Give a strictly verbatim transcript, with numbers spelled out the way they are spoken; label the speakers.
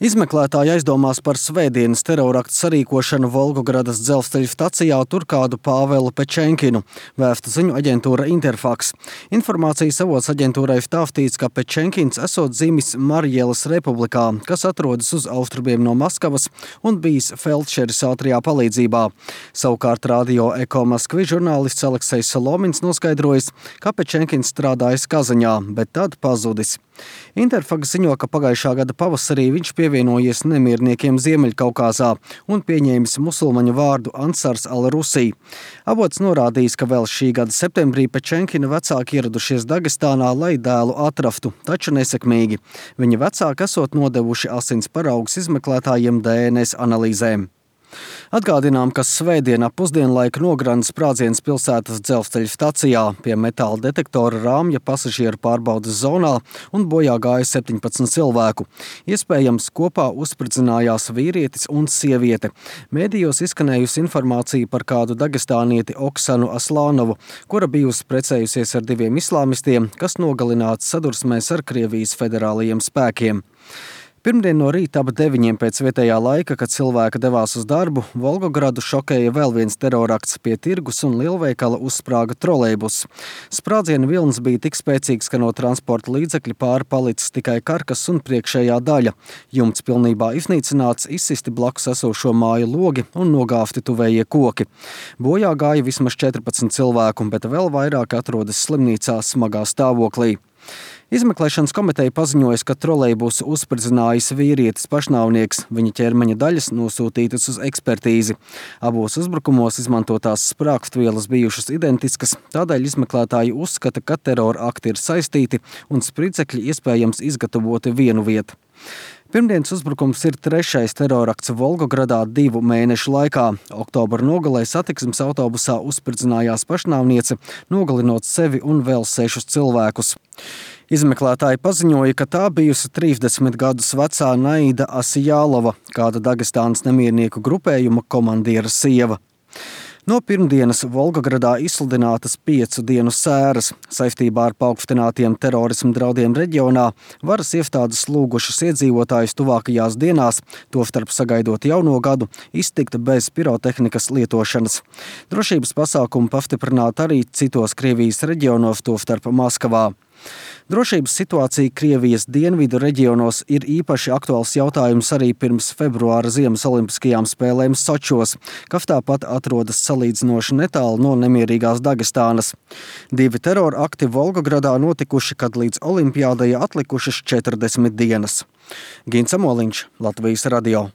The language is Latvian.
Speaker 1: Izmeklētāji aizdomās par svētdienas teroraktu sarīkošanu Volgogradas dzelzceļa stacijā tur kādu Pāvelu Pečenkinu, vēsta ziņu aģentūra Interfax. Informācijas avots aģentūrai vtāvtīts, ka Pečenkins esot dzimis Marjelas republikā, kas atrodas uz austrumiem no Maskavas un bijis feldšeris ātrijā palīdzībā. Savukārt Radio Eko Maskvi žurnālists Aleksejs Solomins noskaidrojis, ka Pečenkins strādājis Kazaņā, bet tad pazudis. Interfax ziņo, ka pagājušā gada pavasarī viņš pievienojies nemierniekiem Ziemeļkaukāzā un pieņēmis musulmaņu vārdu Ansars al-Rusī. Avots norādījis, ka vēl šī gada septembrī Pečenkina vecāki ieradušies Dagestānā, lai dēlu atraftu, taču nesekmīgi. Viņa vecāki esot nodevuši asins paraugus izmeklētājiem D N S analīzēm. Atgādinām, ka svētdienā pusdienlaika nogranda sprādziens pilsētas dzelzceļa stacijā pie metāla detektora rāmja pasažieru pārbaudes zonā un bojā gāja septiņpadsmit cilvēku. Iespējams, kopā uzspridzinājās vīrietis un sieviete. Mēdījos izskanējusi informācija par kādu dagestānieti Oksanu Aslānovu, kura bijusi precējusies ar diviem islāmistiem, kas nogalināti sadursmēs ar Krievijas federālajiem spēkiem. Pirmdien no rīta ap deviņiem pēc vietējā laika, kad cilvēki devās uz darbu, Volgogradu šokēja vēl viens terorakts. Pie tirgus un lielveikala uzsprāga trolejbus. Sprādziena vilnis bija tik spēcīgs, ka no transporta līdzekļa pāri palicis tikai karkas un priekšējā daļa. Jumts pilnībā iznīcināts, izsisti blakus esošo māju logi un nogāfti tuvējie koki. Bojā gāja vismaz četrpadsmit cilvēku, bet vēl vairāk atrodas slimnīcā smagā stāvoklī. Izmeklēšanas komiteja paziņojas, ka trolejbusu uzspridzinājis vīrietis pašnāvnieks. Viņa ķermeņa daļas nosūtītas uz ekspertīzi. Abos uzbrukumos izmantotās sprāgstvielas bijušas identiskas, tādēļ izmeklētāji uzskata, ka terora akti ir saistīti un spridzekļi iespējams izgatavoti vienu vietu. Pirmdienas uzbrukums ir trešais terorakts Volgogradā divu mēnešu laikā. Oktobra nogalē satiksmes autobusā uzspridzinājās pašnāvniece, nogalinot sevi un vēl sešus cilvēkus. Izmeklētāji paziņoja, ka tā bijusi trīsdesmit gadus vecā Naida Asijālova, kāda Dagestānas nemiernieku grupējuma komandiera sieva. No pirmdienas Volgogradā izsludinātas piecu dienu sēras. Saistībā ar paaugstinātiem terorismu draudiem reģionā varas iestādes lūgušas iedzīvotājus tuvākajās dienās, tostarp sagaidot jauno gadu, iztikt bez pirotehnikas lietošanas. Drošības pasākumi pastiprināti arī citos Krievijas reģionos, tostarp Maskavā. Drošības situācija Krievijas dienvidu reģionos ir īpaši aktuāls jautājums arī pirms februāra ziemas olimpiskajām spēlēm Sočos, kas tāpat atrodas salīdzinoši netālu no nemierīgās Dagestānas. Divi terora akti Volgogradā notikuši, kad līdz olimpiādai atlikušas četrdesmit dienas. Gins Amoliņš, Latvijas radio.